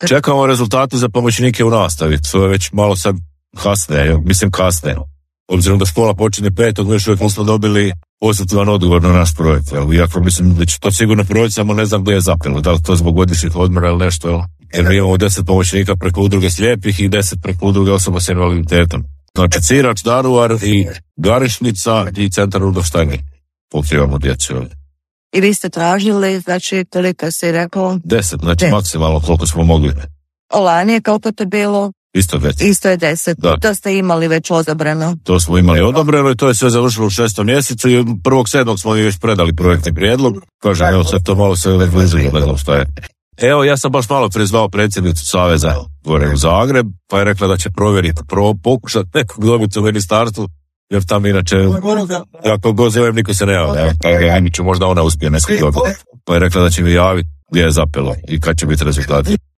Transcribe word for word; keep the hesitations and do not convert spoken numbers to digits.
Čekamo rezultate za pomoćnike u nastavi, to je već malo sad kasne, mislim kasne. Obzirom da škola počinje petog, mi još uvijek nismo dobili pozitivan odgovor na naš projekt. Iako mislim da će to sigurno proći, samo ne znam gdje je zapelo, da li to zbog godišnjih odmora ili nešto, jel? Jer mi imamo deset pomoćnika preko udruge slijepih i deset preko udruge osoba s invaliditetom. Znači Cirač, Daruvar i Garišnica i centar Rudolf Steiner. Pokrivamo djecu ovdje. I vi ste tražili, znači, toliko si rekao? Deset, znači deset. Maksimalno koliko smo mogli. Lani je koliko to bilo? Isto deset. Isto je deset. Da. To ste imali već odabrano. To smo imali odabrano i to je sve završilo u šestom mjesecu i prvog sedmog smo već predali projektni prijedlog. Kažem, evo sad to malo se blizu, ne znam šta je. Evo, ja sam baš malo prizvao predsjednicu Saveza gore u Zagreb, pa je rekla da će provjeriti, pro, pokušati nekog dobiti u ministarstvu, jer tam inače, ako god zovem, niko se ne javlja. Ja ću možda ona uspije nekog dobiti. Pa je rekla da će mi javiti gdje je zapelo i kad će biti rezultati.